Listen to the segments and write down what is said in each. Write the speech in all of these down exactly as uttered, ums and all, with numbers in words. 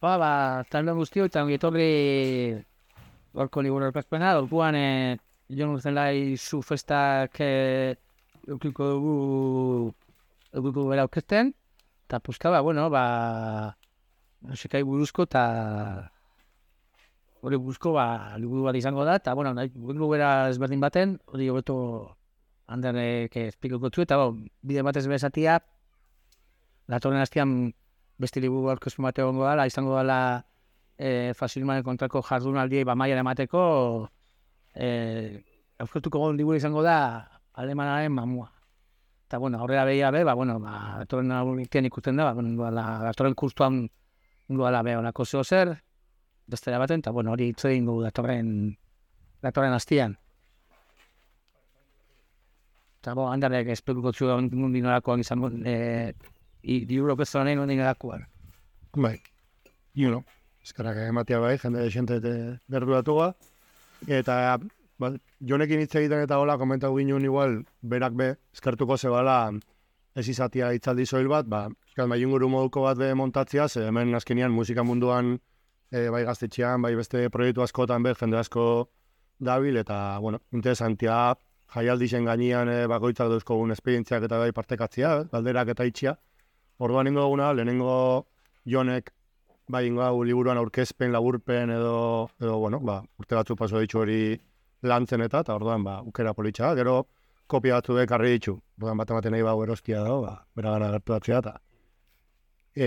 Ba, ba, talde guztio, eta ongi etorri gorko liburu aurkezpena, orduan eh, jon zelai zu festak eh, eukiko dugu eukiko bera aurkezten, eta puska, ba, bueno, ba, sekai buruzko, eta hori buruzko, ba, liburu bat izango da, eta, bueno, nahi, liburu bera ezberdin baten, hori hobeto handerek esplikoko zu, eta, bo, bide batez bezatia, datorren hastian beste liburu aurkezpen bat egongo dela, izango dela e, fasilmaren kontrako jardunaldiei bamaiara emateko, e, aurkeztuko gon liburu izango da alemanaren mamua. Eta, bueno, horrela behia be, ba, bueno, ba, datorren aurrikean ikusten da, ba, bueno, datorren kurtuan ingo dela be, honako zeo zer, bestera baten, eta, bueno, hori hitz egin dugu datorren, datorren hastian. Eta, bo, handarek espekuko zu nundi norakoan izango, e, liburu aurkeztu nahi nundi norakoan. Bai, you know, eskerrak ematia bai, jende desente berduratuga. Eta, ba, jonekin hitz egiten eta hola, komentatu ginen igual, berak be, eskertuko zebala, ez izatia hitzaldi soil bat, ba, eskal bai inguru moduko bat be montatzia, ze hemen azkenean musika munduan, e, bai gaztetxean, bai beste proiektu askotan be, jende asko dabil, eta, bueno, interesantia, jaialdixen gainean e, bakoitzak dauzkogun esperientziak eta bai partekatzia, galderak eta itxia. Orduan ingo duguna, lehenengo jonek, bai ingo hau liburuan aurkezpen, laburpen edo, edo bueno, ba, urte batzu paso ditxu hori lantzen eta, eta orduan, ba, ukera politxa, gero kopia batzu bekarri ditxu. Orduan bat ematen nahi bau erostia dago, ba, bera gana gertu batzea, eta,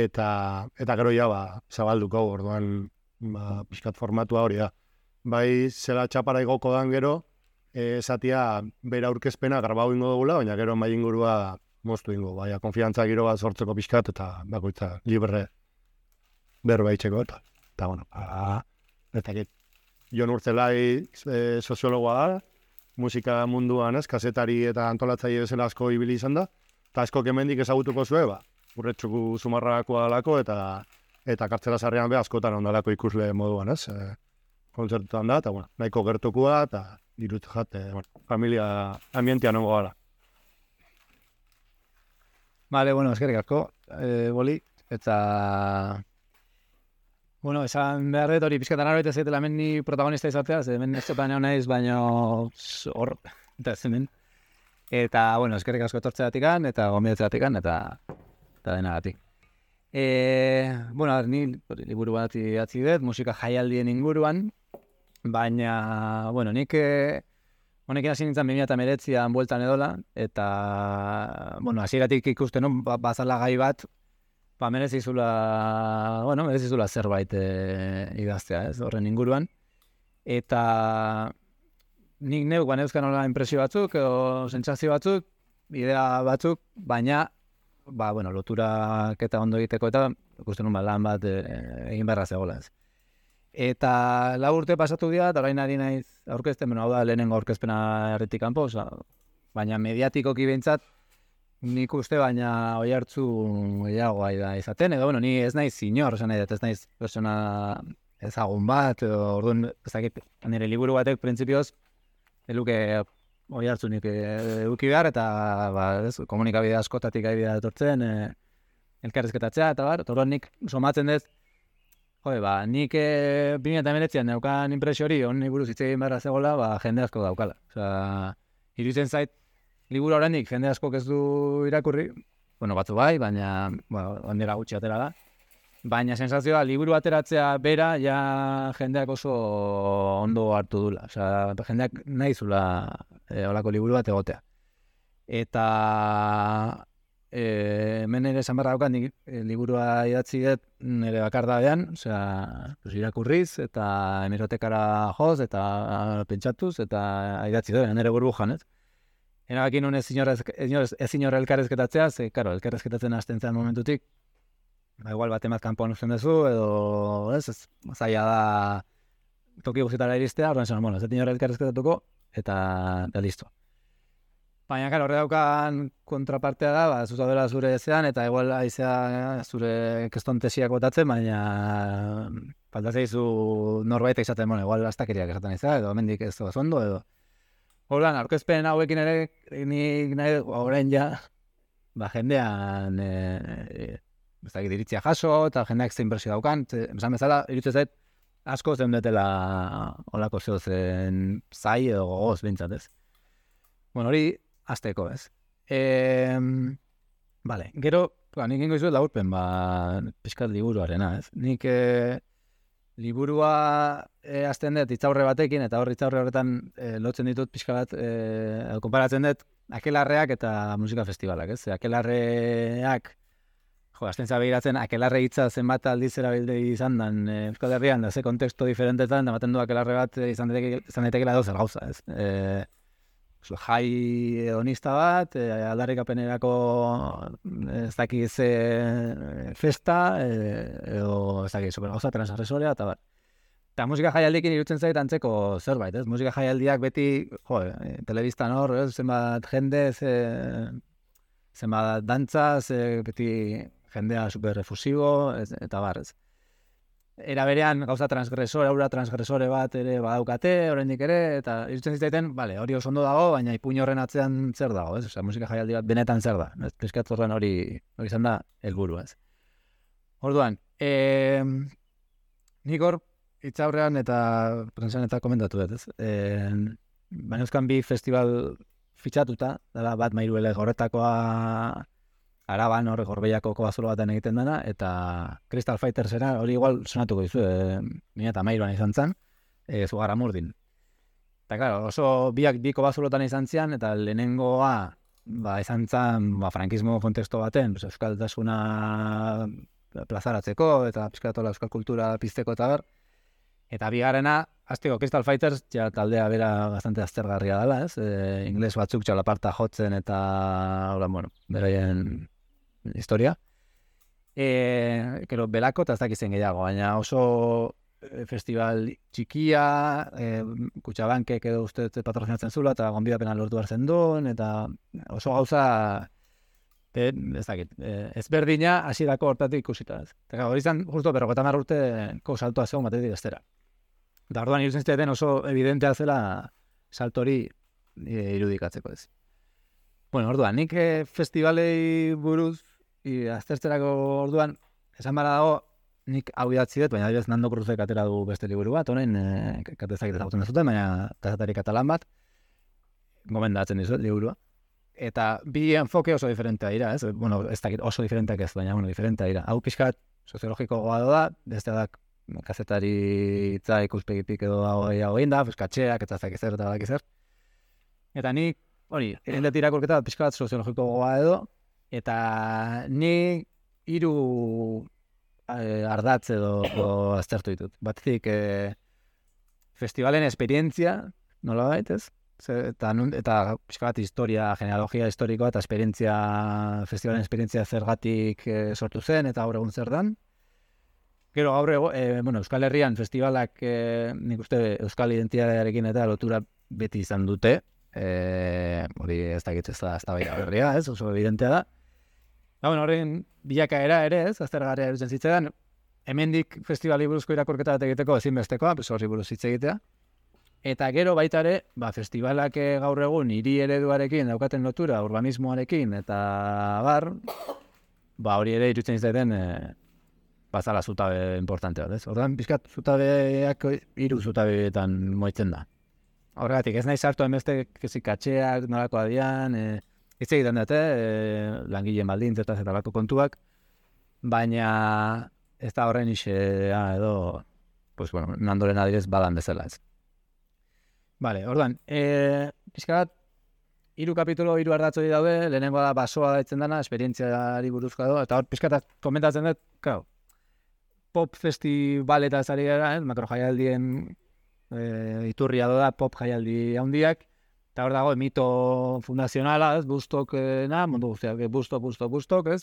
eta, eta gero ja, ba, zabalduko, orduan, ba, pixkat formatua hori da. Bai, zela txapara igoko dan gero, esatia bera aurkezpena grabau ingo dugula, baina gero mai ingurua moztu ingo, baina konfiantza giro bat sortzeko pixkat, eta bakoitza libre berbaitzeko, eta, eta bueno, a, eta get, Jon Urtzelai e, soziologoa da, musika munduan ez, kazetari eta antolatzaile bezala asko ibili izan da, eta asko kemendik ezagutuko zue, ba, urretxuku zumarrakoa dalako, eta eta kartzela sarrean be askotan ondalako ikusle moduan ez, e, kontzertutan da, eta bueno, nahiko gertukua, eta dirut jat, e, bueno, familia ambientean ongo gara. Vale, bueno, eskerrik asko, eh, boli, eta... Bueno, esan behar dut hori pizkatan arroita zaitela hemen ni protagonista izatea, ze hemen ez topan egon naiz, baina hor, eta hemen. Eta, bueno, eskerrik asko etortzeatikan, eta gombidetzeatikan, eta, eta denagatik. E, bueno, ni liburu bat idatzi dut, musika jaialdien inguruan, baina, bueno, nik... E, honekin hasi nintzen bi mila hemeretzian bueltan edola, eta, bueno, hasieratik ikusten, no, bazala gai bat, ba, merezizula, bueno, merezizula zerbait e, idaztea, ez, horren inguruan. Eta nik neuk, ba, neuzkan hola impresio batzuk, edo sentsazio batzuk, idea batzuk, baina, ba, bueno, loturak eta ondo egiteko, eta ikusten nun, ba, lan bat e, egin beharra zegoela, ez. Eta lau urte pasatu dira, eta orain ari naiz aurkezten, bueno, hau da lehenengo aurkezpena herritik kanpo, oza, baina mediatikoki behintzat, nik uste baina oi hartzu gehiagoa da izaten, edo, bueno, ni ez naiz inor, esan nahi dut, ez naiz persona ezagun bat, edo, orduan, ez dakit, nire liburu batek, printzipioz, eluke oi hartzunik eduki behar, eta, ba, ez, komunikabide askotatik ari dira etortzen, e, elkarrezketatzea, eta bar, orduan nik somatzen dut, Jode, ba, nik e, bi mila hemeretzian daukan impresio hori, honi buruz hitz egin beharra zegoela, ba, jende asko daukala. Osea, iruditzen zait, liburu oraindik jende askok ez du irakurri, bueno, batzu bai, baina, bueno, ondera gutxi atera da. Baina sensazioa, liburu ateratzea bera, ja jendeak oso ondo hartu dula. Osea, jendeak nahi zula e, olako liburu bat egotea. Eta... E, hemen ere esan barra daukat, nik e, liburua idatzi dut nire bakardadean, osea, pues, irakurriz, eta hemerotekara joz, eta pentsatuz, eta idatzi dut, nire burbujan, ez? Erabaki nun ez inor elkarrezketatzea, ze, karo, elkarrezketatzen hasten zen momentutik, ba, igual bat emaz kanpoan usten duzu, edo, ez, ez, zaila da toki guztietara iristea, orduan zen, bueno, ez dut inor elkarrezketatuko, eta, eta listo. Baina, karo, horre daukan kontrapartea da, ba, zuzaudela zure zean, eta igual aizea zure kestontesiak botatzen, baina faltatzea izu norbait izaten, bueno, igual astakeriak esaten izan, edo mendik ez da ondo, edo. Horlan, aurkezpen hauekin ere, nik nahi orain ja, ba, jendean, e, e, ez dakit iritzia jaso, eta jendeak zein impresio daukan, ze, esan bezala, irutzen zait, asko zeundetela olako zeo zen zai edo gogoz bintzat, ez? Bueno, hori, azteko, ez? E, vale, gero, ba, nik ingo izuet laburpen, ba, pixkat liburuarena, ez? Nik e, liburua e, azten dut itzaurre batekin, eta hor itzaurre horretan e, lotzen ditut pixka bat, e, konparatzen dut, akelarreak eta musika festivalak, ez? Akelarreak, jo, azten zabegiratzen, akelarre hitza zenbat aldiz erabilde izan dan e, Euskal Herrian, da ze konteksto diferentetan, da maten du akelarre bat e, izan daitekeela dozer gauza, ez? E, jai hedonista bat, e, aldarrikapenerako ez dakiz e, festa, e, edo ez dakiz super gauza, transagresorea, eta bat. Eta musika jaialdiekin irutzen zait antzeko zerbait, ez? Musika jaialdiak beti, jo, e, telebistan hor, ez? Zenbat jende, ze, zenbat dantza, ze, beti jendea super refusibo, ez, eta bar, ez. Era berean gauza transgresore, aura transgresore bat ere badaukate, oraindik ere, eta irutzen zitzaiten, bale, hori oso ondo dago, baina ipuin horren atzean zer dago, ez? Osea, musika jaialdi bat benetan zer da, ez? Piskat horren hori, hori izan da, helburu, ez? Orduan, e, nik hor, itzaurrean eta prentsan eta komentatu dut, ez? E, baina euskan bi festival fitxatuta, dela bat Mairuele horretakoa Araban hor Gorbeiako kobazulo baten egiten dena, eta Crystal Fightersera hori igual sonatuko dizu, e, mila eta mairuan izan zen, e, Zugarramurdin. Eta claro, oso biak bi kobazulotan izan zian, eta lehenengoa ba, izan zen ba, frankismo konteksto baten, pues, euskaltasuna plazaratzeko, eta pizkatola euskal kultura pizteko eta ber. Eta bigarrena, hasteko Crystal Fighters, ja taldea bera bastante aztergarria dela, ez? E, ingles batzuk txalaparta jotzen eta, hola, bueno, beraien historia. E, kero, belako eta ez dakizen gehiago, baina oso festival txikia, e, Kutxabankek edo uste patrozinatzen zula, eta gonbidapena lortu hartzen duen, eta oso gauza, e, ez dakit, e, ezberdina hasierako hortatik ikusita. Ez. Eta hori izan, justo, berrogeta hamar urteko saltoa zegoen batetik bestera. Eta orduan irutzen zitzaiten oso evidentea zela saltori e, irudikatzeko ez. Bueno, orduan, nik e, festivalei buruz i, aztertzerako orduan, esan bara dago, nik hau idatzi dut, baina adibidez Nando Cruzek atera du beste liburu bat, honen, e, katezak ezagutzen dezuten, baina kazatari katalan bat, gomendatzen dizuet liburua. Eta bi enfoke oso diferentea dira, ez? Bueno, ez dakit oso diferenteak ez, baina bueno, diferentea dira. Hau pixkat soziologiko goa da, beste da kazetari itza ikuspegitik edo hau egin da, katxeak eta zakiz zer eta badakiz zer. Eta nik, hori, egin dut irakurketa bat pixkat soziologiko goa edo, eta nik hiru eh, ardatz edo, edo aztertu ditut. Batetik, eh, festivalen esperientzia, nola baitez? Eta, eta pixka bat historia, genealogia historikoa eta esperientzia, festivalen esperientzia zergatik e, sortu zen eta gaur egun zer dan. Gero gaur egun, e, bueno, Euskal Herrian festivalak e, nik uste Euskal identitatearekin eta lotura beti izan dute. E, hori ez dakit ez da, ez da baita berria, ez, oso evidentea da. Ba, bueno, horren bilakaera ere, ez, aztergarria erutzen zitzaidan, hemendik festivali buruzko irakurketa bat egiteko ezinbestekoa, pues horri buruz hitz egitea. Eta gero baita ere, ba, festivalak gaur egun hiri ereduarekin daukaten lotura, urbanismoarekin, eta bar, ba, hori ere irutzen izaten e, bazala zutabe importante bat, ez? Ordan pizkat zutabeak hiru zutabeetan moitzen da. Horregatik, ez nahi sartu hainbeste kezikatxeak, nolako adian, e, hitz egiten dute, e, langileen baldintzetaz eta lako kontuak, baina ez da horren isea edo, pues, bueno, Nandoren adirez badan bezala, ez. Vale, orduan, e, pixka bat, hiru kapitulo, hiru ardatz hori daude, lehenengoa da basoa daitzen dana, esperientziari buruzkoa do, eta hor pixka bat komentatzen dut, claro, pop festivaletaz ari gara, eh, makro jaialdien e, iturria da pop jaialdi handiak, eta hor dago mito fundazionala, ez, Bustok-na, mundu guztiak, Bustok, Bustok, Bustok, ez,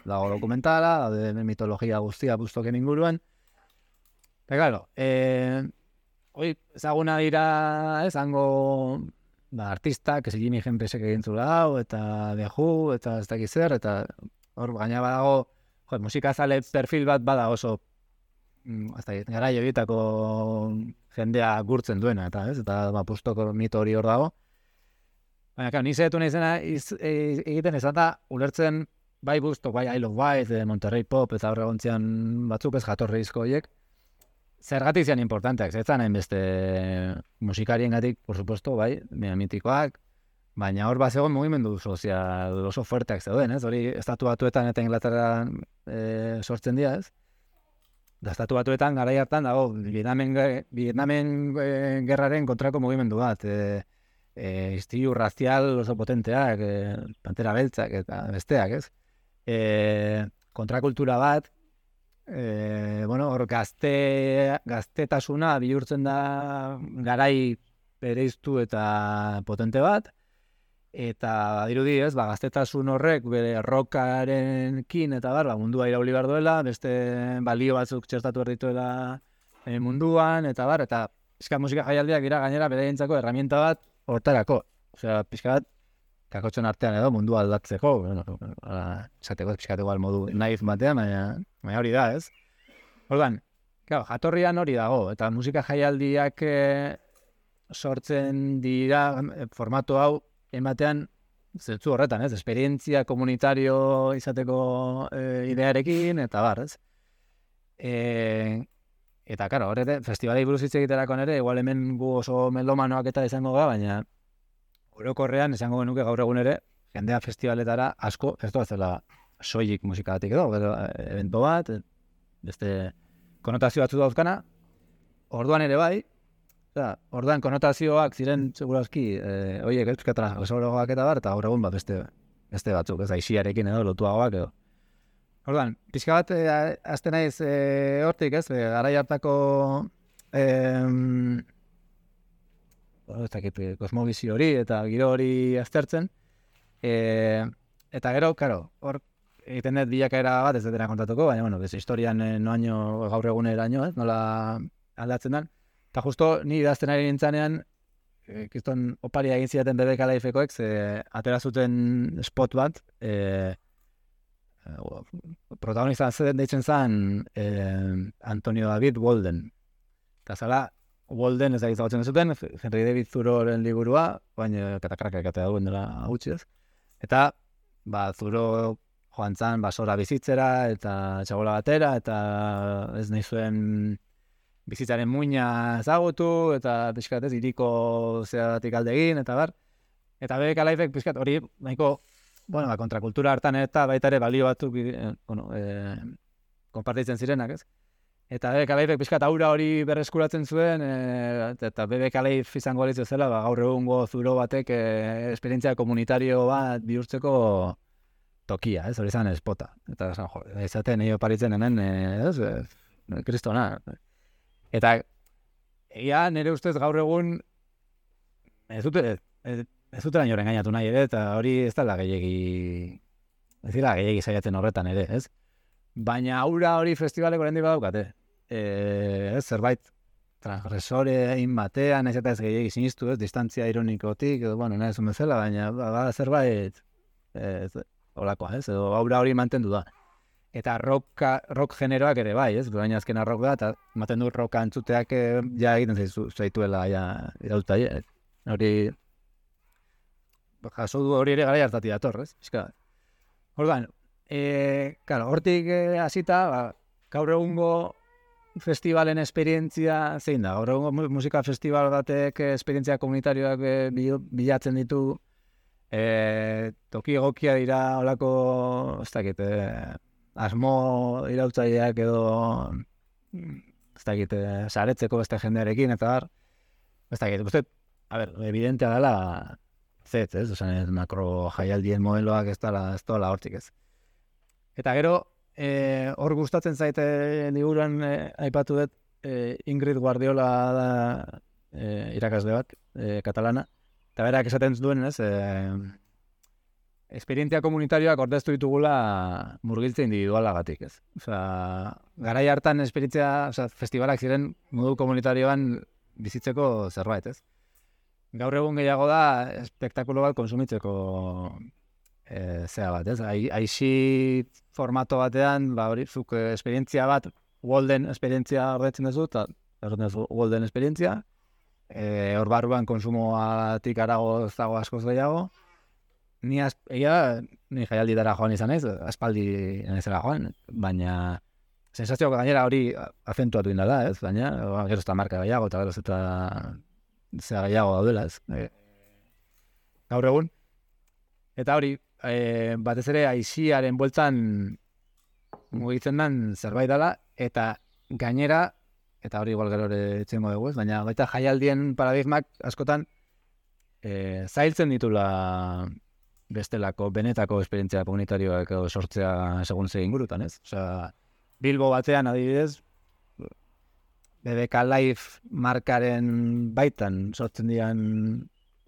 dago dokumentala, daude mitologia guztia Bustoken inguruan, eta claro, eh, hoi, ezaguna dira, ez, hango ba, artistak, ez Jimi Hendrixek egin zula hau, eta The Who, eta ez dakiz zer, eta hor gaina badago, jo, musikazale perfil bat bada oso, ez dakit, garai horietako jendea gurtzen duena, eta ez, eta ba, Bustoko mito hori hor dago. Baina, claro, ni zehetu nahi zena iz, e, egiten ezan da, ulertzen bai Busto, bai I Love White, Monterrey Pop, eta horre gontzian batzuk ez jatorri izko horiek, zergatik zian importanteak, zetzan hainbeste musikariengatik, por supuesto, bai, mitikoak, baina hor bat zegoen mugimendu sozial oso fuerteak zeuden, ez? Hori estatu batuetan eta Inglaterran e, sortzen dira, ez? Da estatu batuetan garai hartan dago Vietnamen, Vietnamen e, gerraren kontrako mugimendu bat, e, e, istilu razial oso potenteak, e, pantera beltzak eta besteak, ez? E, kontrakultura bat, e, bueno, hor gazte, gaztetasuna bihurtzen da garai bereiztu eta potente bat, eta dirudi ez, ba, gaztetasun horrek bere rokarekin eta bar, ba, mundua irauli behar duela, beste balio batzuk txertatu behar dituela e, munduan, eta bar, eta pixka musika jaialdiak dira gainera beraientzako herramienta bat hortarako. Osea, pixka bat, kakotxon artean edo mundua aldatzeko, bueno, esateko pixkateko al modu naif batean, baina, baina hori da, ez? Orduan, claro, jatorrian hori dago, eta musika jaialdiak e, sortzen dira formatu hau ematean zentzu horretan, ez? Esperientzia komunitario izateko e, idearekin, eta bar, ez? E, eta, karo, horrete, festivalei buruz hitz egiterako nere, igual hemen gu oso melomanoak eta izango ga, baina orokorrean esango genuke gaur egun ere, jendea festivaletara asko, ez da zela soilik musikatik edo, edo evento bat, beste konotazio batzu dauzkana, orduan ere bai, oza, orduan konotazioak ziren segurazki, e, oiek euskatara gesorogoak eta bar, eta gaur egun bat beste, beste batzuk, ez aixiarekin edo, lotuagoak edo. Orduan, pixka bat, e, azte naiz e, hortik, ez, e, garai hartako e, ez dakit, kosmobizio hori eta giro hori aztertzen. E, eta gero, karo, hor egiten dut bilakaera bat ez dutena kontatuko, baina, bueno, bez, historian eh, noaino gaur eguneraino, ez, nola aldatzen den. Eta justo ni idazten ari nintzanean, e, kiston oparia egin zidaten B B K Lifekoek, ze atera zuten spot bat, e, protagonista zeden deitzen zen e, Antonio David Walden. Eta zala, Walden ez da gizagotzen zuten, Henry David Thoreauren liburua, baina katakarrak ekatea duen dela gutxi ez. Eta, ba, Thoreau joan zan basora bizitzera, eta txabola batera, eta ez nahi zuen bizitzaren muina ezagutu, eta pixkat ez, iriko zeratik alde egin, eta bar. Eta B B K Lifek pixkat hori, nahiko, bueno, ba, kontrakultura hartan eta baita ere balio batzuk, eh, bueno, eh, konpartitzen zirenak, ez? Eta B B K Lifek pixkat aura hori berreskuratzen zuen, e, eta B B K Life izango balitz zela, ba, gaur egungo Zuro batek e, esperientzia komunitario bat bihurtzeko tokia, ez, hori zan espota. Eta zan, jo, izaten nio paritzen hemen, e, ez, e, kristona. Eta, egia nire ustez gaur egun, ez dute, ez, ez dute laino engainatu nahi ere, eta hori ez dela gehiegi, ez dira gehiegi saiatzen horretan ere, ez? Baina aura hori festivaleko lehendik badaukate. E, ez, zerbait transgresore egin batean, ez eta ez gehiagi sinistu, ez, distantzia ironikotik, edo, bueno, nahi zuen bezala, baina bada zerbait ez, olakoa, ez, edo aura hori mantendu da. Eta rock, rock generoak ere bai, ez, baina azkena rock da, eta ematen du rocka entzuteak ja egiten zaitu, zaituela ja irauta, hori jaso du hori ere gara hartati dator, ez, pixka. Orduan, e, claro, hortik hasita, ba, gaur egungo festivalen esperientzia zein da? Gaur egungo musika festival batek esperientzia komunitarioak bilatzen ditu, e, toki egokia dira olako, ez dakit, e, asmo irautzaileak edo, ez dakit, e, saretzeko beste jendearekin, eta bar, ez dakit, uste, a ber, evidentea dela, zet, ez, osan ez makro jaialdien modeloak ez dela, ez dela hortik ez. Eta gero, E, hor gustatzen zaite liburuan e, aipatu dut e, Ingrid Guardiola da e, irakasle bat, e, katalana, eta berak esaten duen, ez, e, esperientzia komunitarioak ordeztu ditugula murgiltze individualagatik, ez. Osea, garai hartan esperientzia, osea, festivalak ziren modu komunitarioan bizitzeko zerbait, ez. Gaur egun gehiago da espektakulo bat konsumitzeko E, zea bat, ez? Aixi formato batean, ba, hori, zuk esperientzia bat, Walden esperientzia ordetzen duzu, eta ordetzen duzu Walden esperientzia, e, hor barruan konsumoatik arago ez dago askoz gehiago, ni az, egia, ni jaialditara joan izan ez, aspaldi naizela joan, baina sensazioak gainera hori azentuatu indala, ez, baina gero ez da marka gehiago, eta gero ez eta zera gehiago daudela, ez. E, gaur egun. Eta hori, e, batez ere aiziaren bueltan mugitzen den zerbait dela, eta gainera, eta hori igual gero ere etxengo dugu, ez, baina baita jaialdien paradigmak askotan e, zailtzen ditula bestelako, benetako esperientzia komunitarioak sortzea segun ze ingurutan, ez? Osea, Bilbo batean adibidez, B B K Live markaren baitan sortzen dian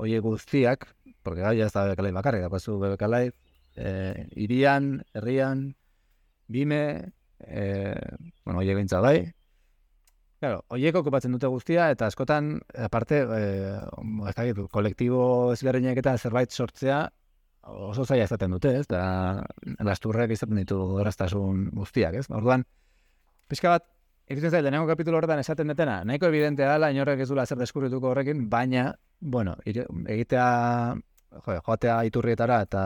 oie guztiak, porque gai ez da B B K Live bakarrik, apazu B B K Live, eh, irian, herrian, bime, eh, bueno, oie gintza bai. Claro, oiek okupatzen dute guztia, eta askotan, aparte, eh, ez da gitu, kolektibo ezberdinak eta zerbait sortzea oso zaila izaten dute, ez? Da, lasturrek izaten ditu erraztasun guztiak, ez? Orduan, pixka bat, iritzen zail, denengo kapitulo horretan esaten detena, nahiko evidentea dela, inorrek ez duela zer deskubrituko horrekin, baina, bueno, egitea, jo, joatea iturrietara eta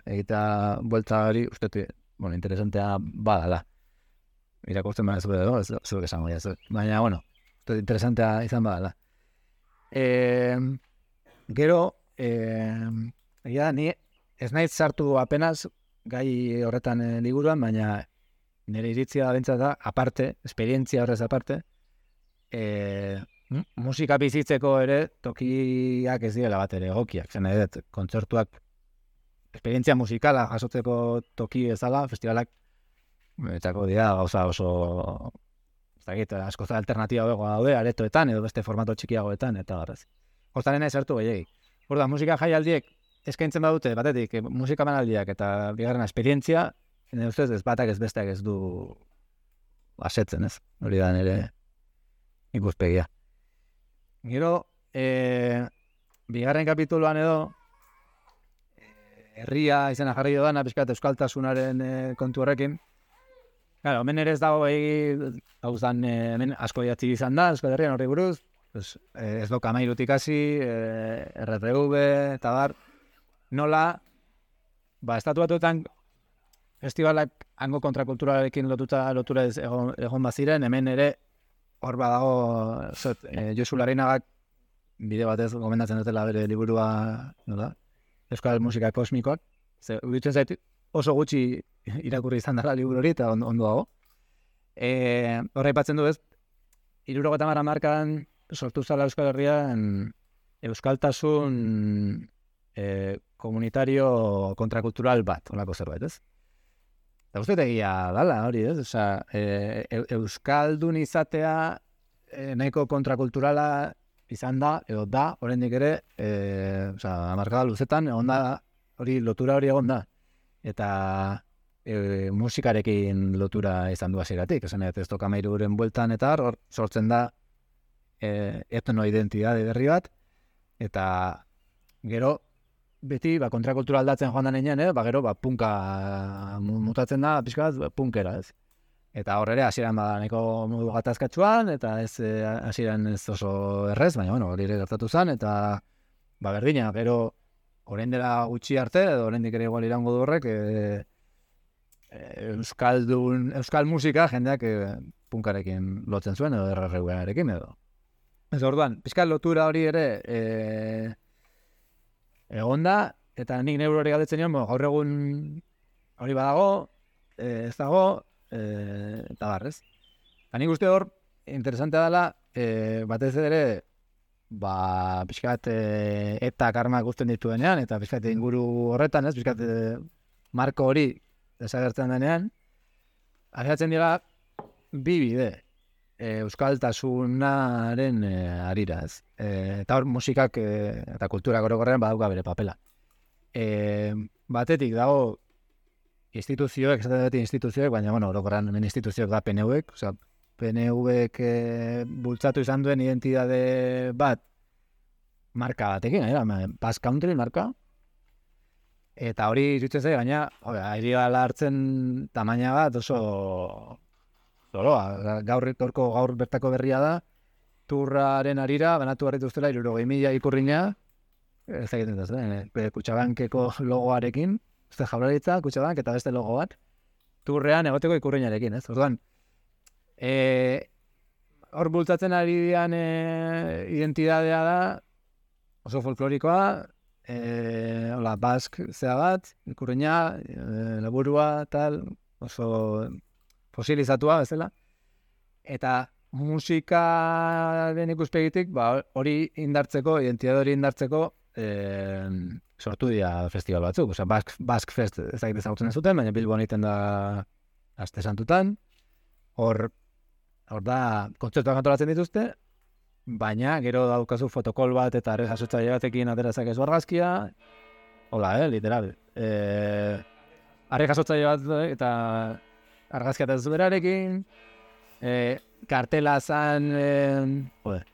egitea buelta hori, uste, bueno, interesantea badala. Irakurtzen baina zure edo, ez zuek esango ja, baina, bueno, uste, interesantea izan badala. E, gero, e, egia, ni ez naiz sartu apenas gai horretan e, liburuan, baina nire iritzia bentsat da, aparte, esperientzia horrez aparte, e, musika bizitzeko ere tokiak ez direla bat ere egokiak. Zen edet, kontzertuak, esperientzia musikala jasotzeko toki ezala, festivalak, etako dira gauza oso, ez dakit, asko alternatiba bego daude, aretoetan edo beste formato txikiagoetan, eta garrez. Hortan nahi sartu gehiagi. Horda, musika jaialdiek eskaintzen badute, batetik, musika manaldiak eta bigarrena esperientzia, nire ustez ez batak ez besteak ez du asetzen, ez? Hori da nire ikuspegia. Gero, e, bigarren kapituluan edo, herria izena jarri dudana, pixkat euskaltasunaren e, kontu horrekin. Claro, hemen ere ez dago egi, gauzan, e, hemen asko idatzi izan da, Euskal Herrian horri buruz, pues, e, ez doka mairutik hasi, e, R T V, eta bar, nola, ba, estatu batuetan festivalak hango kontrakulturarekin lotuta lotura ez egon, egon baziren, hemen ere hor badago, zot, e, Josu Larrinagak bide batez gomendatzen dutela bere liburua, nola, Euskal Musika Kosmikoak, ze, uritzen zait, oso gutxi irakurri izan dara liburu hori eta ondo, ondo dago. E, horra ipatzen du ez, hirurogeita hamar hamarkadan sortu zala Euskal Herrian euskaltasun e, komunitario kontrakultural bat, olako zerbait, ez? Eta uste egia dala hori, ez? Osa, e, e, euskaldun izatea e, nahiko kontrakulturala izan da, edo da, oraindik ere, e, osa, hamarkada luzetan, egon da, hori lotura hori egon da. Eta e, musikarekin lotura izan du hasieratik, esan ez toka mairuren bueltan eta hor sortzen da e, etno-identitate berri bat, eta gero beti ba, kontrakultura aldatzen joan da nenean, eh? ba, gero ba, punka mutatzen da pixka bat punkera, ez. Eta hor ere hasieran bada nahiko modu gatazkatsuan, eta ez hasieran ez oso errez, baina bueno, hori ere gertatu zen, eta ba, berdina, gero orain dela gutxi arte, edo oraindik ere igual irango du horrek, e, e, euskaldun, euskal musika jendeak e, punkarekin lotzen zuen, edo R R V-arekin, edo. Ez orduan, pixka lotura hori ere e, egon da, eta nik neuro hori galdetzen nion, gaur egun hori badago, e, ez dago, e, eta barrez. Eta nik uste hor, interesantea dela, e, batez ere, ba, pixkat e, eta karma guztien dituenean, eta pixkat inguru horretan, ez, pixkat e, marko hori desagertzen denean, ahiatzen dira bi bide e, euskaltasunaren e, arira, ez. E, eta hor musikak e, eta kultura orokorrean badauka bere papela. E, batetik dago instituzioek, esaten dut instituzioek, baina, bueno, orokorrean hemen instituzioek da P N V-ek, osea, P N V-ek e, bultzatu izan duen identitate bat marka batekin, era, Basque Country marka, eta hori iruditzen zai, gaina, ari gala hartzen tamaina bat oso zoroa, gaur, gaurko gaur bertako berria da, turraren arira, banatu barritu ustela, hirurogei mila ikurrina, ez egiten da zen, eh? Kutxabankeko logoarekin, ez Jaurlaritza, Kutxabank eta beste logo bat, turrean egoteko ikurriñarekin, ez? Orduan, eh, hor bultzatzen ari dian eh, identidadea da, oso folklorikoa, eh, hola, bask zea bat, ikurriña, eh, laburua, tal, oso fosilizatua, bezala, eta musikaren ikuspegitik, ba, hori indartzeko, identitate hori indartzeko, eh, sortu dira festival batzuk. Osea, Bask, Bask Fest ezagite ezagutzen ez zuten, baina Bilbon egiten da aste santutan. Hor, hor da, kontzertuak antolatzen dituzte, baina gero daukazu fotokol bat eta arre jasotzaile batekin aterazak ez argazkia. Hola, eh, literal. Eh, arre jasotzaile bat eta argazkia eta zuberarekin, eh, kartela zan, eh, joder,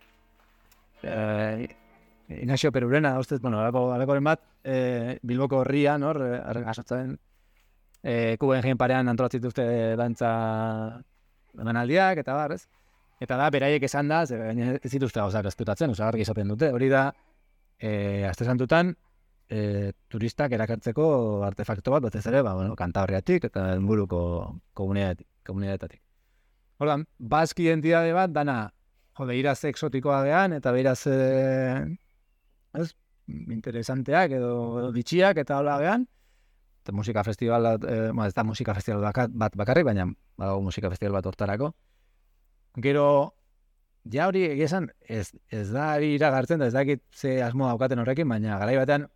eh, Ignacio Perurena, ustez, bueno, alako, alakoren bat, eh, Bilboko horrian, hor, eh, asotzen, eh, kuben jein parean antolatzen dituzte dantza emanaldiak, eta bar, ez? Eta da, beraiek esan da, ze, ez dituzte gauzak ezkutatzen, oza, argi esaten dute, hori da, eh, aste santutan, eh, turistak erakartzeko artefakto bat, batez ere, ba, bueno, Kantabriatik eta inguruko komunitatetik. Ordan, bask identitate bat dana, jode, iraz exotikoa gean, eta beraz, eh, ez, interesanteak edo, edo bitxiak eta hola gean, eta musika festival, eh, ma, ez da musika festival bakat, bat bakarrik, baina badago musika festival bat hortarako. Gero, ja hori egizan, ez, ez da iragartzen, da ez dakit ze asmo daukaten horrekin, baina garai batean,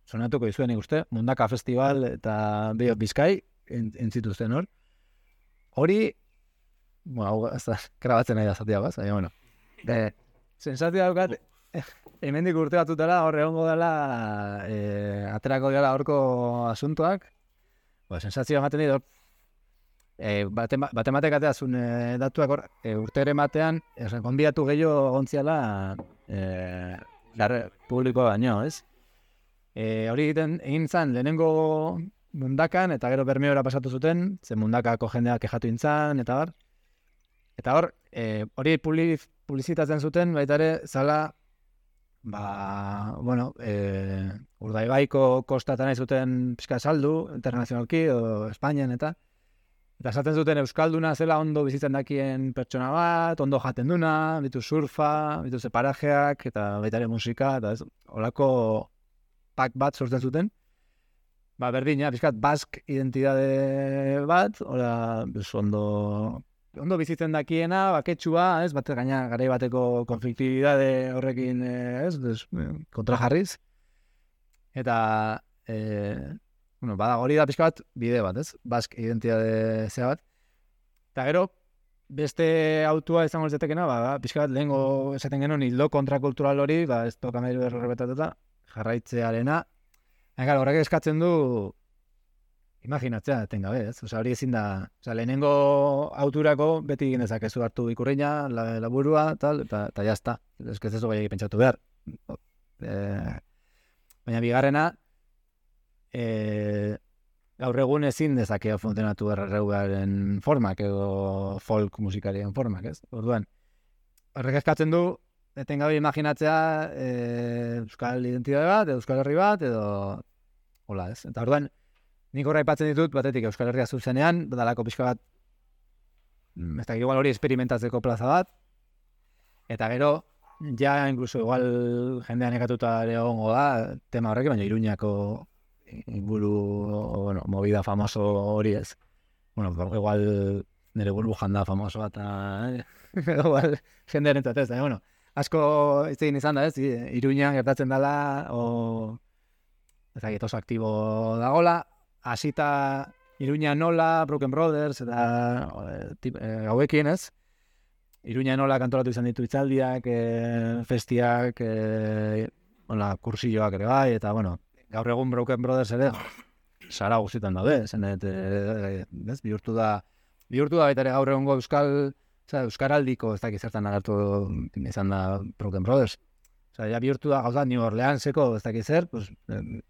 sonatuko izuen ikuste, Mundaka Festival eta Bio Bizkai entzituzten hor. Hori, bueno, hau ez da, grabatzen nahi da zatia baz, baina, bueno. De, sensazioa daukat, hemendik urte batutela, hor egongo dela, e, aterako dela horko asuntoak, ba, sensazioa ematen dit, e, baten batek ateazun e, datuak hor, e, urtere batean, konbidatu gehiago gontziala, e, larre, publiko baino, ez? E, hori egiten egin zan, lehenengo Mundakan, eta gero Bermeora pasatu zuten, ze Mundakako jendeak kexatu intzan, eta bar. Eta hor, e, hori publizitatzen zuten, baita ere, zala, ba, bueno, e, Urdaibaiko kostatan nahi zuten pixka saldu, internazionalki, o Espainian, eta eta esaten zuten Euskalduna zela ondo bizitzen dakien pertsona bat, ondo jaten duna, bitu surfa, bitu separajeak, eta baita ere musika, eta ez, holako pak bat sortzen zuten. Ba, berdina, pixkat, bask identitate bat, hola, pues, ondo, ondo bizitzen dakiena, baketsua, ez, bat gaina garai bateko konfliktibidade horrekin, ez, des, kontrajarriz. Eta, e, bueno, bada, hori da pixka bat, bide bat, ez, bask identitate zea bat. Eta gero, beste autua izango litzatekeena, ba, pixka bat, lehengo esaten genuen hildo kontrakultural hori, ba, ez toka mairu errebetatuta, jarraitzearena. Eta horrek eskatzen du imaginatzea etengabe, ez? Osea, hori ezin da, osea, lehenengo auturako beti egin dezakezu hartu ikurriña, la, laburua, tal, eta eta jazta. Ez ez ez bai pentsatu behar. E, baina bigarrena, e, gaur egun ezin dezakea funtzionatu erreguaren formak edo folk musikarien formak, ez? Orduan, horrek eskatzen du etengabe imaginatzea e, euskal identitate bat, edo euskal herri bat, edo hola, ez? Eta orduan, nik horra aipatzen ditut, batetik euskal herria zuzenean, badalako pixka bat, ez da, igual hori experimentatzeko plaza bat, eta gero, ja, incluso, igual jendean ekatuta ere egongo da, tema horrekin, baina Iruñako inguru, bueno, movida famoso hori ez. Bueno, igual nire burbujan da famoso bat, eh? Igual jendearen entzat ez, bueno, asko ez egin izan da ez, Iruñan gertatzen dela, o ez dakit oso aktibo dagola, hasita Iruña nola, Broken Brothers, eta e, hauekin ez, Iruña nola kantolatu izan ditu itzaldiak, e, festiak, e, hola, kursilloak ere bai, eta bueno, gaur egun Broken Brothers ere, sara guztietan daude, zenet, e, ez, bihurtu da, bihurtu da baita ere gaur egungo euskal, Osa, euskaraldiko ez dakit zertan agertu izan da Broken Brothers. Osa, ja bihurtu da gauza New Orleanseko ez dakit zer, pues,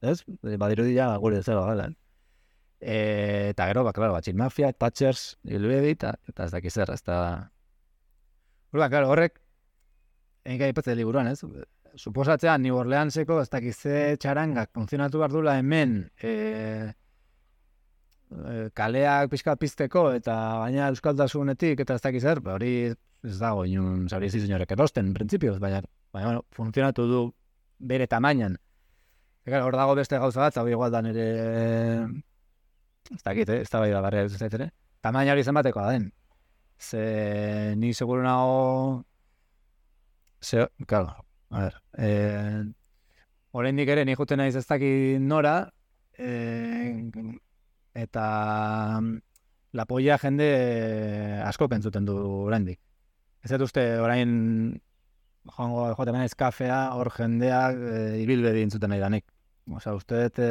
ez? Badirudi ja gure zero gala. E, eta gero, ba, klaro, Batxin Mafia, Thatchers, Ilbedi, eta, eta ez dakit zer, ez da... Horba, klaro, horrek, egin gai ipatzea liburuan, ez? suposatzean New Orleanseko ez dakiz ze txarangak funtzionatu behar dula hemen e, e, kaleak pixka pizteko eta baina euskaldasunetik eta ez dakiz zer, hori ez dago inun zauriz izunorek erosten, printzipioz, baina, baina bueno, funtzionatu du bere tamainan. Eta hor dago beste gauza bat, hau igual da nire ez dakit, eh? Ez da bai da barri ez ez ere. Tamaina hori zenbatekoa da den. Ze ni seguru nago ze, claro, a ver, eh, oraindik ere ni juten naiz ez dakit nora, eh, eta la polla jende asko pentsuten du oraindik. Ez dut uste orain joango jote menez kafea, hor jendeak e, ibilbedi entzuten nahi danik. Osa, uste dut e,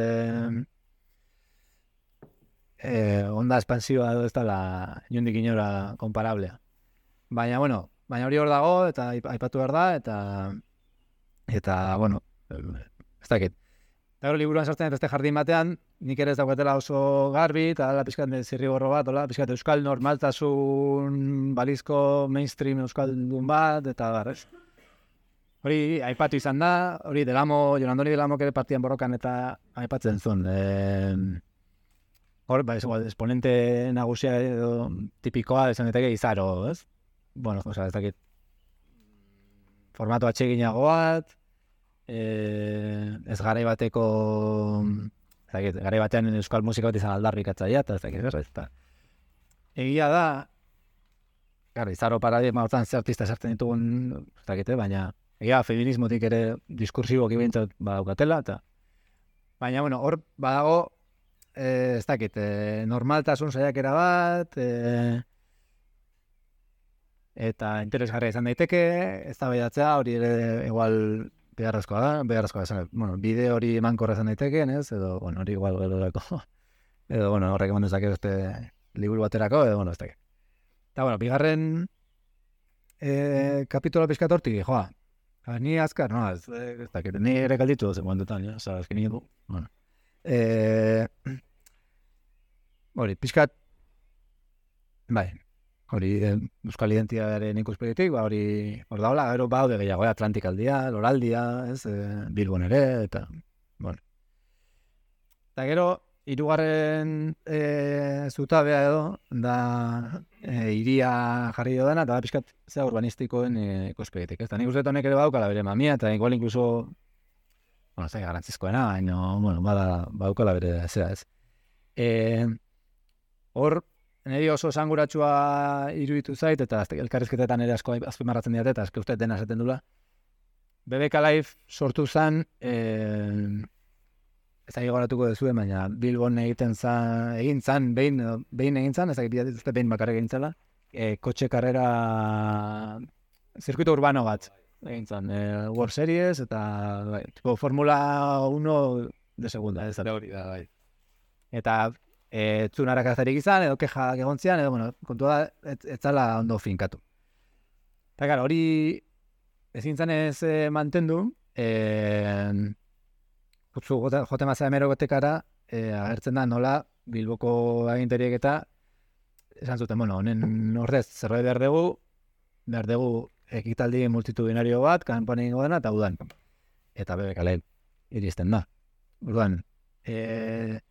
e, onda espansioa edo ez dela inondik inora komparablea. Baina, bueno, baina hori hor dago eta aipatu behar da, eta eta, bueno, ez dakit. Eta hori liburuan sartzen beste jardin batean, nik ere ez daukatela oso garbi, eta ala pixkat zirriborro bat, ola, pixkat euskal normaltasun balizko mainstream euskaldun bat, eta garrez. Hori aipatu izan da, hori Delamo, Jonandoni Delamo ere partian borrokan eta aipatzen zuen. E, hor, ba, esponente nagusia edo tipikoa esan daiteke Izaro, ez? Bueno, o sea, ez dakit formato atseginago bat, eh, ez garai bateko, ez dakit, garai batean euskal musika bat izan aldarrikatzaia, eta ez dakit, ez da. Egia da, gara, Izaro paradigma hortan ze artista sartzen ditugun, ez dakit, baina egia feminismotik ere diskursiboki behintzat badaukatela, eta baina, bueno, hor badago, eh, ez dakit, eh, normaltasun saiakera bat, eh, eta interesgarria izan daiteke, ez da behidatzea, hori ere igual beharrezkoa da, beharrezkoa esan, bueno, bide hori emankorra izan daitekeen, ez, edo, bueno, hori igual edorako, edo, bueno, horrek eman dezake beste liburu baterako, edo, bueno, ez dakit. Eta, bueno, bigarren eh, kapitulo pixkat hortik, joa, ni azkar, no, ez, ez dakit, ni ere kalditu dozen momentutan, ja, oza, ezkin nire du, bueno. Eh, hori, pixkat, bai, hori eh, euskal identitatearen ikuspegitik, ba, hori hor daula, gero baude gehiago, eh, Atlantikaldia, Loraldia, ez, eh, Bilbon ere, eta, bueno. Eta gero, hirugarren eh, zutabea edo, da eh, iria jarri dodana, eta da pixkat zea urbanistikoen eh, ikuspegitik, ez. Eta nik uste honek ere baukala bere mamia, eta igual inkluso, bueno, ez da garantzizkoena, baina, bueno, bada, baukala bere zea, ez. Eh, hor, niri oso esanguratsua iruditu zait, eta elkarrizketetan ere asko azpimarratzen diate, eta eske uste dena esaten dula. B B K Live sortu zen, eh, ez da goratuko duzuen, baina Bilbon egiten zan, egin zan, behin, behin egin zan, ez da uste behin bakarrik egin zela, eh, kotxe karrera, zirkuito urbano bat egin zan, eh, World Series, eta bai, tipo Formula uno de segunda, ez da hori da, bai. Eta ez zuen arakazarik izan, edo keja egontzian, edo, bueno, kontua da, ez, ez zala ondo finkatu. Eta, gara, hori ezin zanez eh, mantendu, eh, utzu jote mazea emerogotekara, eh, agertzen da nola Bilboko aginteriek eta esan zuten, bueno, honen ordez zerbait behar dugu, behar dugu ekitaldi multitudinario bat, kanpoan egingo dena, eta udan. Eta B B K Live iristen da. Udan, eh,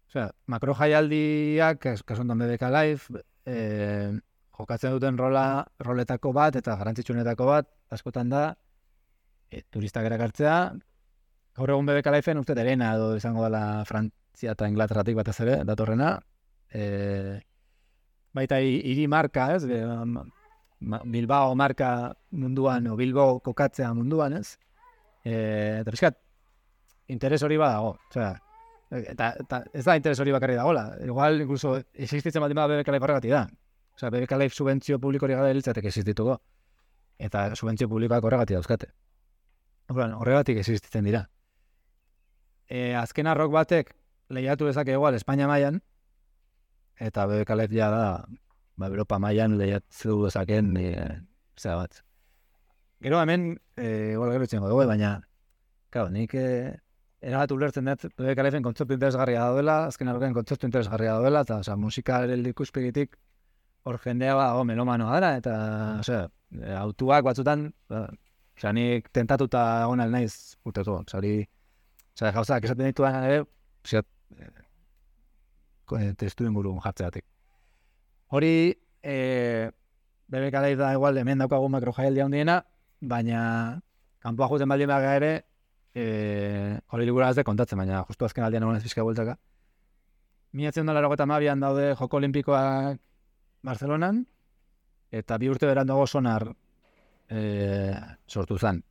osea, makro jaialdiak, kasu honetan B B K Live, eh, jokatzen duten rola, roletako bat eta garrantzitsuenetako bat, askotan da, e, turistak erakartzea, gaur egun B B K Liveen uste terena edo izango dela Frantzia eta Inglaterratik batez ere, datorrena, e, baita hiri marka, ez, e, Bilbao marka munduan, o Bilbao kokatzea munduan, ez, e, eta pixkat, interes hori badago, osea, Eta, eta ez da interes hori bakarri dagoela. Igual, incluso, existitzen bat ima B B K Live horregatik da. Osea, B B K Live subentzio publiko hori gara hiltzatek existituko. Eta subentzio publikoak horregatik dauzkate. Horregatik existitzen dira. E, azken arrok batek lehiatu dezake igual Espainia mailan, eta B B K Live ja da, ba, Europa mailan lehiatu dezaken, e, zera bat. Gero hemen, e, igual gero txengo dugu, baina, claro, nik... E, erabat ulertzen dut, B B K Liveen kontzeptu interesgarria daudela, azken arroken kontzeptu interesgarria daudela, eta oza, musika ere ikuspegitik hor jendea ba, oh, melomanoa dara, eta osea, autuak batzutan, ba, Osea, nik tentatuta egon al naiz urteko. Osea, hori, osea, gauzak esaten dituan ere, osea, testu ingurun jartzeatik. Hori, eh, B B K Live da igual hemen daukagu makrojaialdi handiena, baina kanpoa juten baldin baga ere, eh, hori ligura ez de kontatzen, baina justu azken aldean egon ez pizka bueltaka. Mila bederatziehun eta laurogeita hamabian daude Joko Olimpikoak Barcelonan, eta bi urte beranduago Sonar eh, sortu zen.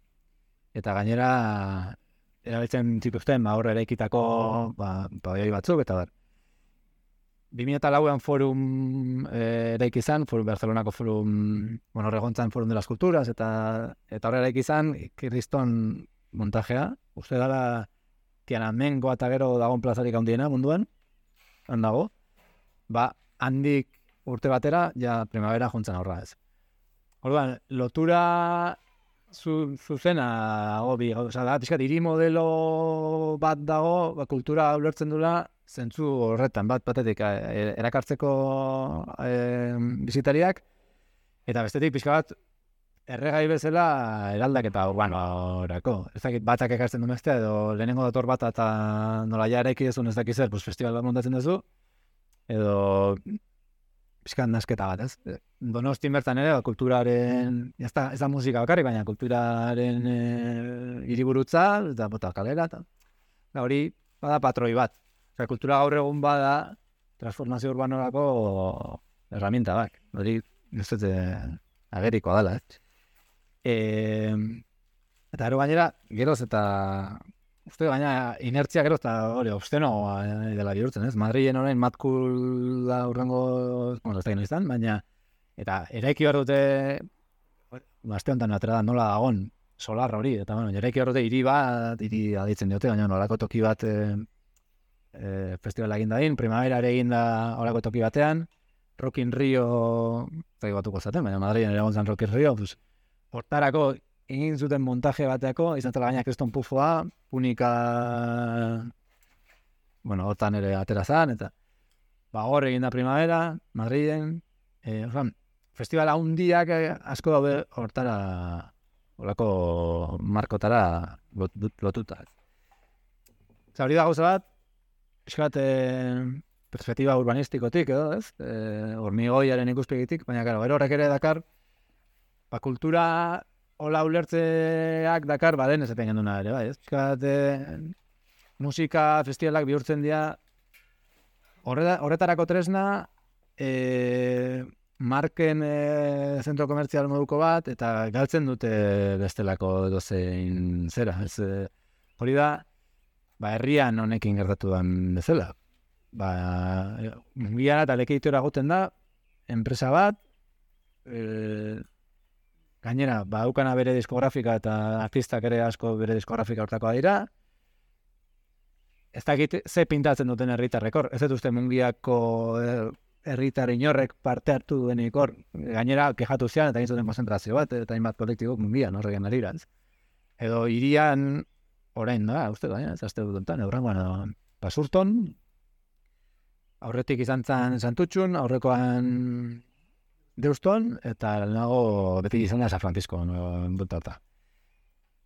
Eta gainera, erabiltzen zituzten, ba, hor eraikitako ba, pabelloi batzuk, eta bar. bi mila lauan forum eh, eraiki izan, forum Barcelonako forum, bueno, regontzan forum de las culturas, eta eta horre eraiki izan, Kirriston montajea, uste dala Tiananmengo eta gero dagoen plazarik handiena munduan, han dago, ba, handik urte batera, ja primavera jontzen aurra ez. Orduan, lotura zu, zuzena dago bi, oza, da, pixkat, hiri modelo bat dago, ba, kultura ulertzen dula, zentzu horretan, bat batetik erakartzeko e, bizitariak, eta bestetik pixka bat erregai bezala eraldaketa urbanorako. Ez dakit batak ekartzen du bestea, edo lehenengo dator bat eta nola ja eraiki dezun ez dakiz zer, pues festival bat montatzen duzu, edo pixka nasketa bat, ez? Donosti bertan ere, kulturaren, ez da, ez da musika bakarrik, baina kulturaren e, hiriburutza, eta bota kalera, eta hori bada patroi bat. Osea, kultura gaur egun bada transformazio urbanorako herramienta bak. Hori, ez dut agerikoa dela, eh? E, eta gero gainera, geroz eta uste gaina inertzia geroz eta hori, obstenoa dela bihurtzen, ez? Madrilen orain matkula urrengo, bueno, ez da gino izan, baina eta eraiki behar dute aste honetan atera da nola dagon solar hori, eta bueno, eraiki behar dute hiri bat, hiri aditzen diote, baina nolako toki bat e, E, festivala egin dadin, primavera ere egin da horako toki batean, Rock in Rio, zai batuko zaten, baina Madrilen ere egon zen Rock in Rio, pues, hortarako egin zuten montaje bateako, izan zela gaina Kriston Pufoa, Punika, bueno, hortan ere atera zan, eta ba, hor egin da primavera, Madrilen, e, osan, festivala handiak asko daude hortara, horako markotara lot, lotuta. Eta hori da gauza bat, eskat, eh, perspektiba urbanistikotik, edo, ez? Eh, hormigoiaren ikuspegitik, baina, gara, gero horrek ere dakar, ba, kultura hola ulertzeak dakar, ba, den ez epen genduna ere, bai, ez? Eskat, eh, musika festivalak bihurtzen dira, horre, horretarako tresna, eh, marken eh, zentro komertzial moduko bat, eta galtzen dute bestelako dozein zera, ez? Eh, hori da, ba, herrian honekin gertatu den bezala. Ba, mungian eta lekeitora goten da, enpresa bat, e, gainera, ba, aukana bere diskografika eta artistak ere asko bere diskografika hortakoa dira, ez dakit ze pintatzen duten herritarrek hor, ez dut uste mungiako herritar inorrek parte hartu duenik hor, gainera, kejatu zian eta egin zuten konzentrazio bat, eta hainbat kolektibok mungian horregen ariraz. Edo irian, orain da, uste da, ez azte dut enten, eurrengoan, Basurton, aurretik izan zen Santutxun, aurrekoan Deuston, eta nago beti izan da San Francisco, buntata.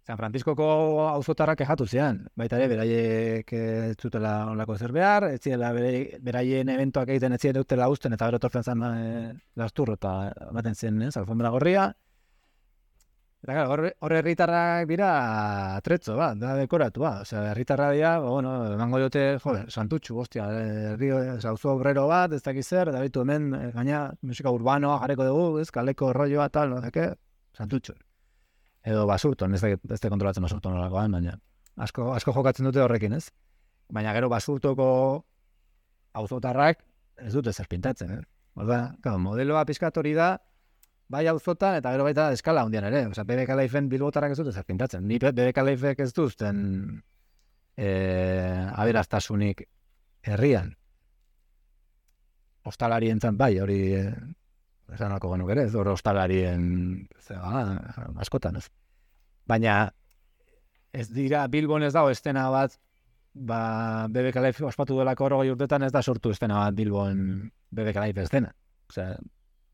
San Franciscoko auzotarrak kejatu zian, baita ere, beraiek ez zutela onlako zer behar, ez ziela beraien eventoak egiten ez ziela dutela usten, eta bero tortzen zen e, lasturro, eta baten zen, ez, alfombra gorria. Eta gara, horre herritarrak dira atretzo, ba, da dekoratu, ba. Osea, herritarra dira, ba, bueno, emango diote, jode, Santutxu, hostia, herri, auzo obrero bat, ez dakiz zer, eta bitu hemen, gaina, musika urbanoa jarriko dugu, ez, kaleko rolloa, tal, no zeke, Santutxu. Edo Basurton, ez dakit, ez da kontrolatzen Basurton horakoan, baina asko, asko jokatzen dute horrekin, ez? Baina gero Basurtoko auzotarrak ez dute zer pintatzen, eh? Orda, claro, modeloa pizkat hori da, bai auzotan eta gero baita eskala handian ere. Osea, B B K Liven bilbotarrak ez dute zer pintatzen. Ni B B K Livek ez duzten eh, aberastasunik herrian. Ostalarientzat bai, hori eh, esanako genuk ere, ez hor ostalarien zeba, askotan ez. Baina ez dira Bilbon ez dago estena bat, ba, B B K Live ospatu delako horrogei urtetan ez da sortu estena bat Bilbon B B K Live estena. Osea,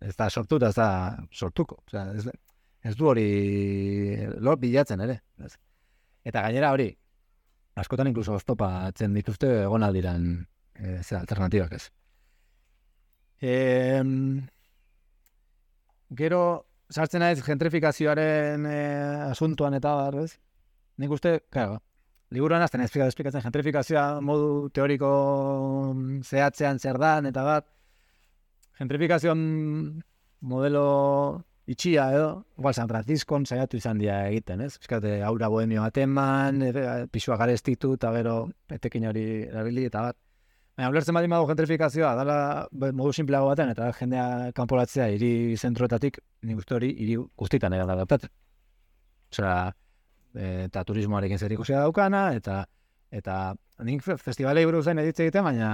ez da sortu eta ez da sortuko. Osea, ez, ez du hori lor bilatzen ere. Ez. Eta gainera hori, askotan inkluso oztopatzen dituzte egon aldiran e, ze alternatibak ez. E, gero, sartzen naiz gentrifikazioaren e, asuntuan eta bar, ez? Nik uste, claro, liburuan azten esplikatzen gentrifikazioa modu teoriko zehatzean zer dan, eta bat, gentrifikazioan modelo itxia edo, igual San Franciscon saiatu izan dira egiten, ez? Fiskate, aura bohemio bateman, pisua garestitu, eta gero etekin hori erabili, eta bat. Baina, ulertzen badin badu gentrifikazioa, dala modu simpleago baten, eta jendea kanpolatzea hiri zentroetatik, nik uste hori hiri guztitan ere da adaptatzen. Osea, eta turismoarekin zer ikusia daukana, eta eta nik festivalei buruz zain editze egiten, baina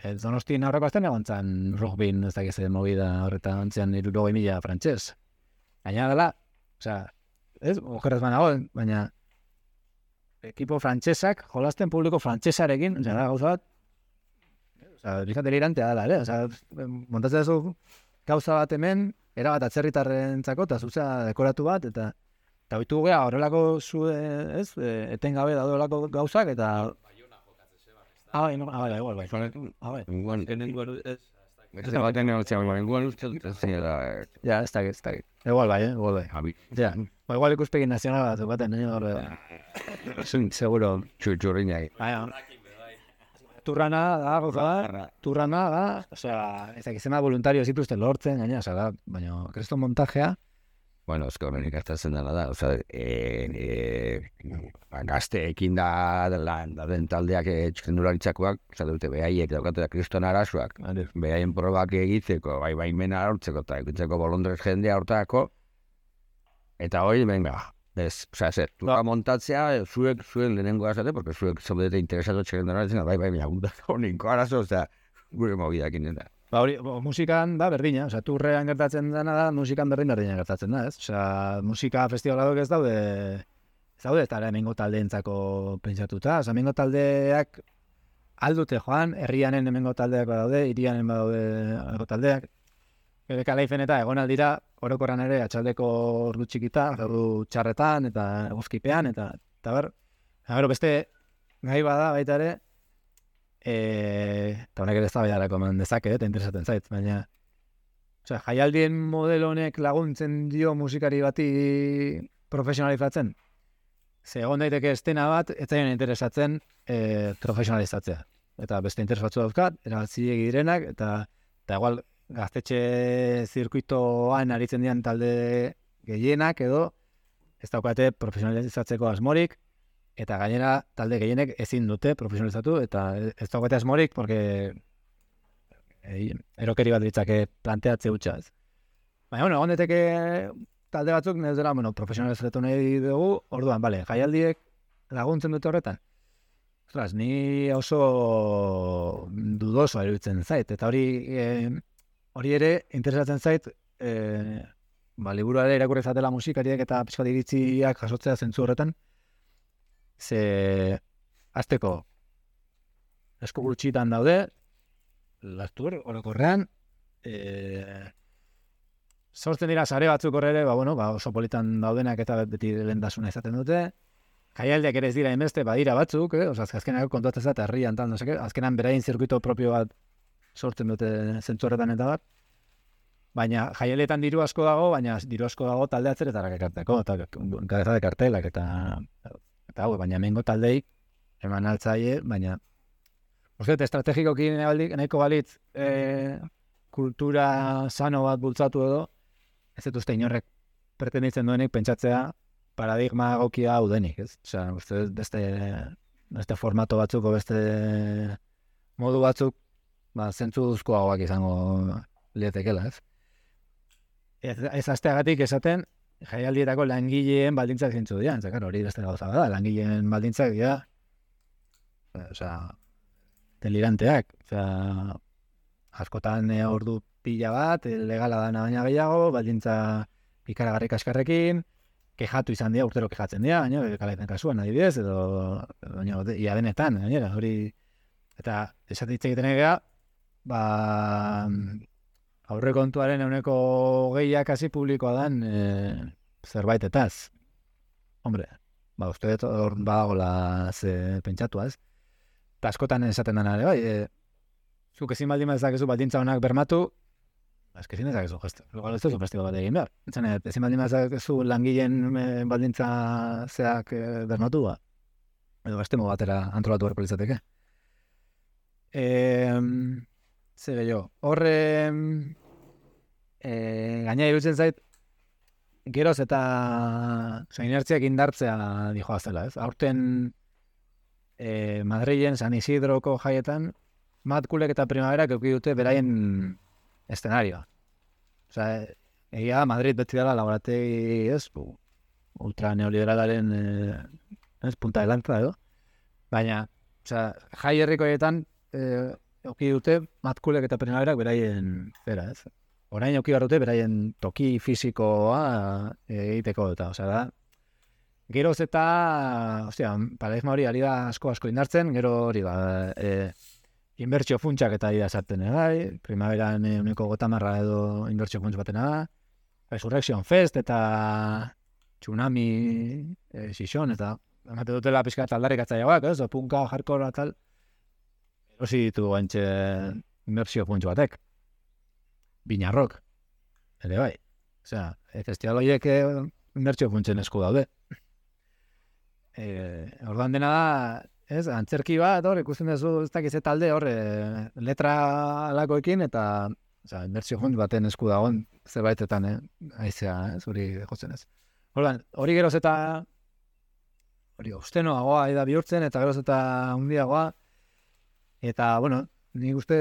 e, Donostin aurreko azten egon zan rugbin, ez dakiz movida horretan antzean hirurogei mila frantses. Gaina dela, osea, ez, okerrez banago, baina ekipo frantsesak, jolasten publiko frantsesarekin, osea, da gauza bat, osea, bizkat delirantea dela, ere, osea, montatzen duzu gauza bat hemen, erabat atzerritarrentzako, eta zuzea dekoratu bat, eta eta oitu gea horrelako zu, ez, etengabe daudolako gauzak, eta ah, bai, no, ah, bai, igual, bai. Ah, bai. Igual, ez. Beste baten negoziago, igual uste dut ez zela. Ja, ez dakit, ez dakit. Igual bai, eh, igual bai. Abi. Ja, ba, igual ikuspegi nazional bat, baten, eh, gaur. Seguro. Txurriñai. Bai, turrana da, goza da, turrana da, osea, ez dakit zema voluntario zituzten lortzen, gaina, osea, da, baina, kresto montajea, Bueno, ez horrenik aztatzen dela da, oza, e, e, gazteekin da, da, da den taldeak txikendularitzakoak, oza, dute behaiek daukatu da kriston arazoak, behaien probak egitzeko, bai baimena hartzeko, eta egitzeko bolondrez jendea hortako, eta hori, venga, ez, oza, zer, tuka montatzea, zuek, zuen lehenengo azate, porque zuek zaudete interesatu txikendularitzen, bai, bai, baina, honiko arazo, oza, gure mobidakin dena. Ba, hori, musikan da berdina, osea, turrean gertatzen dena da, musikan berdin berdina gertatzen da, ez? Osea, musika festivalak ez daude, ez daude, eta hemengo taldeentzako pentsatuta, osea, hemengo taldeak aldute joan, herrianen hemengo taldeak badaude, hirianen badaude hemengo taldeak, bere kalaifen eta egon aldira, orokorran ere, atxaldeko ordu txikita, ordu txarretan, eta eguzkipean, eta, eta ber, eta beste gai bada baita ere, eta honek ere ez da baiarako eman dezake, eta interesatzen zait, baina osea, jaialdien modelo honek laguntzen dio musikari bati profesionalizatzen. Ze egon daiteke estena bat, ez zaien interesatzen e, profesionalizatzea. Eta beste interes batzu dauzkat, erabatzilegi direnak, eta, eta igual gaztetxe zirkuitoan aritzen dian talde gehienak edo ez daukate profesionalizatzeko asmorik, eta gainera talde gehienek ezin dute profesionalizatu, eta ez daukate asmorik, porque erokeri bat ditzake planteatze hutsa ez. Baina, bueno, egon daiteke talde batzuk, ez dela, bueno, profesionalizatu nahi dugu, orduan, bale, jaialdiek laguntzen dute horretan. Ostras, ni oso dudoso iruditzen zait, eta hori eh, hori ere interesatzen zait, eh, ba, liburu ere irakurri zatela musikariek eta pixkat iritziak jasotzea zentzu horretan, ze azteko esku gutxitan daude, lastur, orokorrean, e, sortzen dira sare batzuk horre, ba, bueno, ba, oso politan daudenak eta beti lehendasuna izaten dute, jaialdiak ere ez dira inbeste, badira batzuk, eh? Osa, azkenak kontuatzen zat, herrian tal, no seke, azkenan berain zirkuito propio bat sortzen dute zentzu horretan eta bat, baina jaialdietan diru asko dago, baina diru asko dago talde atzeretarak ekarteko, eta kabeza de kartelak, eta eta hau, baina hemengo taldei eman altzaie, baina uste, estrategikoki nahiko balitz e, kultura sano bat bultzatu edo, ez dut uste inorrek pretenditzen duenik pentsatzea paradigma egokia hau denik, ez? Osea, uste beste, beste formato batzuk, beste modu batzuk, ba, zentzu duzkoagoak izango lietekela, ez? Ez, ez asteagatik esaten, jaialdietako langileen baldintzak zintzu dira, entzakar hori beste gauza da, langileen baldintzak dira, osea, deliranteak, osea, askotan e, ordu pila bat, legala dana baina gehiago, baldintza ikaragarri kaskarrekin, kejatu izan dira, urtero kejatzen dira, baina, kalaipen kasuan adibidez, edo, baina, ia denetan, gainera, hori, eta esatitze egiten egea, ba, aurrekontuaren ehuneko gehiak hasi publikoa dan, e, zerbaitetaz. Hombre, ba, uste dut hor badagola ze pentsatua, ez? Eta askotan esaten dena ere, bai, e, zuk ezin baldin badezakezu baldintza honak bermatu, ba, eski ezin dezakezu gesto. Igual ez duzu festival bat egin behar. Etzen, ezin baldin badezakezu langileen e, baldintza zeak e, bermatu, ba. Edo bestemo batera antolatu beharko litzateke. E, Zer gehiago, horre e, gaina irutzen zait, geroz eta oza, inertziak indartzea dijoa zela, ez? Aurten e, Madrilen San Isidroko jaietan, Matkulek eta Primaverak eduki dute beraien eszenarioa. Oza, egia Madrid beti dela laborategi, ez? Ultra neoliberalaren e, ez, punta de lanza edo. Baina, oza, jai herrikoietan e, Euki dute, Matkulek eta Primaverak beraien zera, ez? Orain euki behar dute beraien toki fisikoa egiteko eta, osea da, geroz eta, ostia, paradigma hori ari da asko-asko indartzen, gero hori ba, e, inbertsio funtsak eta ari da sartzen egai, Primaveran uniko gotamarra edo inbertsio funts batena da, Resurrection Fest eta Tsunami e, Sison, eta emate dutela pixka taldarrik atzaiagoak, ez? O punka, hardcore tal, erosi ditu guantxe inbertsio funts batek. Binarrok, ere bai. Osea, e, festival horiek inbertsio funtsen esku daude. E, orduan dena da, ez, antzerki bat, hor, ikusten duzu ez dakiz talde, hor, e, letra alakoekin, eta, osea, inbertsio funt baten esku dagoen, zerbaitetan, eh, aizea, ez, hori jotzen ez. Orduan, hori geroz eta, hori, ustenoagoa da bihurtzen, eta geroz eta hundiagoa, eta, bueno, nik uste,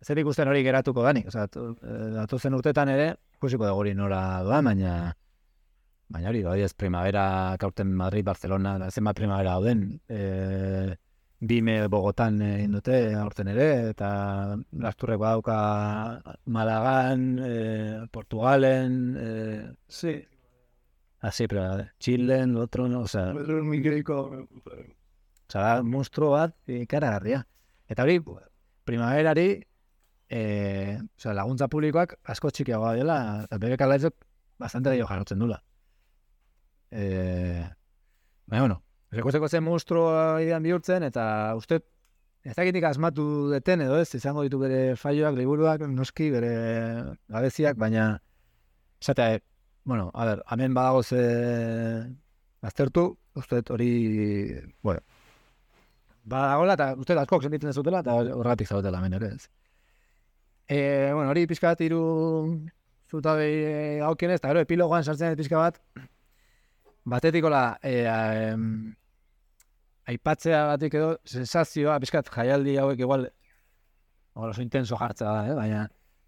zer ikusten hori geratuko danik, osea, datozen urtetan ere, ikusiko dugu hori nora doa, baina, baina hori, hori ez Primavera, kaurten Madrid, Barcelona, zenbat Primavera dauden, e, Bime Bogotan egin dute, aurten ere, eta Lasturrek badauka Malagan, e, Portugalen, e, sí, así, pero Chilen, otro, no, osea, osea, da, monstruo bat, ikaragarria. Eta hori, Primaverari, e, osea, laguntza publikoak asko txikiagoa dela, eta bere kalaitzok bastante gehiago jarrotzen dula. E, baina, bueno, rekusteko zen monstruoa idean bihurtzen, eta uste, ez dakitik asmatu deten edo ez, izango ditu bere faioak, liburuak, noski, bere gabeziak, baina, esatea, bueno, a ber, hemen badago ze aztertu, uste hori, bueno, badagoela, eta uste askok sentitzen ez dutela, eta horregatik zaudetela hemen ere ez. E, bueno, hori pixka bat iru zutabei gaukionez, eta gero epilogoan sartzen pixka bat, batetikola, e, e, aipatzea batik edo, sensazioa, pixkat jaialdi hauek igual, oso intenso jartzea da, eh? Baina,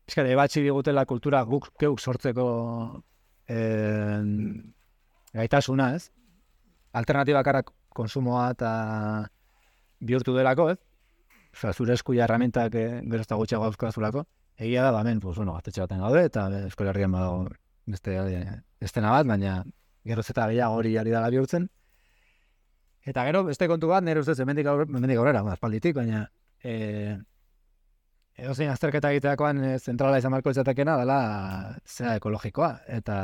pixkat ebatzi digutela kultura guk keuk sortzeko e, gaitasuna, ez? Alternatiba karak konsumoa eta bihurtu delako, ez? Osea, zure eskuia herramientak e, gero ez da gutxiago dauzkazulako. Egia da, ba, hemen, pues, bueno, gaztetxe baten gaude, eta Euskal Herrian badago beste estena bat, baina geroz eta gehiago hori ari dela bihurtzen. Eta gero, beste kontu bat, nire ustez, hemendik aurrera, aspalditik, baina e, edozein azterketa egiteakoan e, zentrala izan marko izatekena dela zera ekologikoa. Eta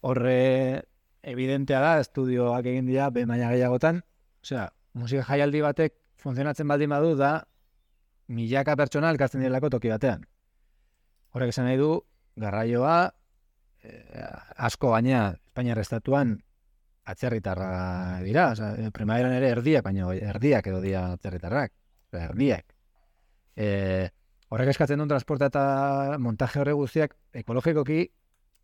horre evidentea da, estudioak egin dira, behin baina gehiagotan, osea, musika jaialdi batek funtzionatzen baldin badu da milaka pertsona elkartzen direlako toki batean. Horrek esan nahi du, garraioa, eh, asko gainea Espainiar estatuan atzerritarra dira, osea, Primaveran ere erdiak, baina erdiak edo dira atzerritarrak, erdiak. Eh, horrek eskatzen duen transporta eta montaje horre guztiak ekologikoki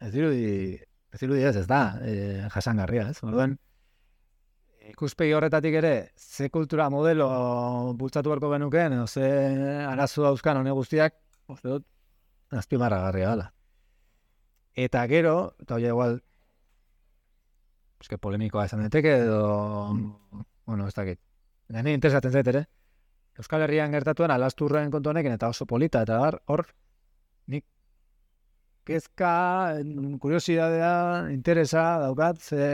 ez dirudi, ez dirudi ez, ez da, eh, jasangarria, ez? Orduan, ikuspegi horretatik ere, ze kultura modelo bultzatu beharko genukeen, edo ze arazo dauzkan hone guztiak, uste dut, azpimarragarria dela. Eta gero, eta hori igual, eske polemikoa esan daiteke, edo, bueno, ez dakit, nire interesatzen zait ere, Euskal Herrian gertatuan Alasturren kontu honekin, eta oso polita, eta hor, hor, nik kezka, kuriosidadea, interesa daukat, ze...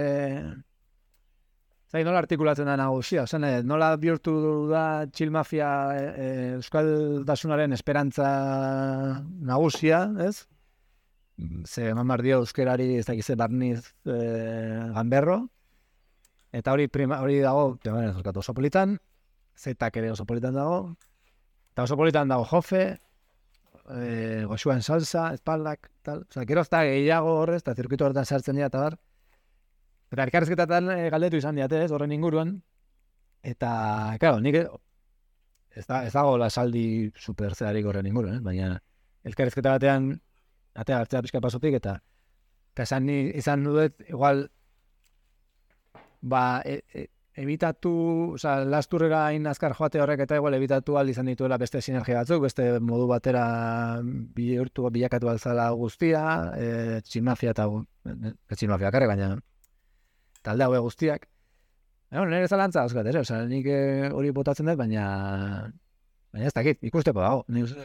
Zai, nola artikulatzen da nagusia, zen, nola bihurtu da Chill Mafia e, Euskal Dasunaren esperantza nagusia, ez? ze eman behar dio euskerari ez dakize barniz e, ganberro, eta hori prima, hori dago, bueno, oso politan, zetak ere oso politan dago, eta oso politan dago jofe, e, goxuan salsa, espaldak, tal, oza, gero ez da gehiago horrez, eta zirkuito horretan sartzen dira, eta bar, eta elkarrizketatan e, galdetu izan diate, ez, horren inguruan, eta, claro, nik ez, da, ez dago lasaldi super zeharik horren inguruan, eh? Baina elkarrizketa batean, atea hartzea pixka pasotik, eta eta esan ni, izan dut, igual, ba, e, e, ebitatu, oza, lasturrera hain azkar joate horrek, eta igual ebitatu al izan dituela beste sinergia batzuk, beste modu batera bihurtu, bilakatu alzala guztia, e, txinmafia eta, ez txinmafia karre, baina talde haue guztiak. Bueno, nire zalantza dauzkat, ere, oza, nik hori botatzen dut, baina baina ez dakit, ikusteko dago. Ni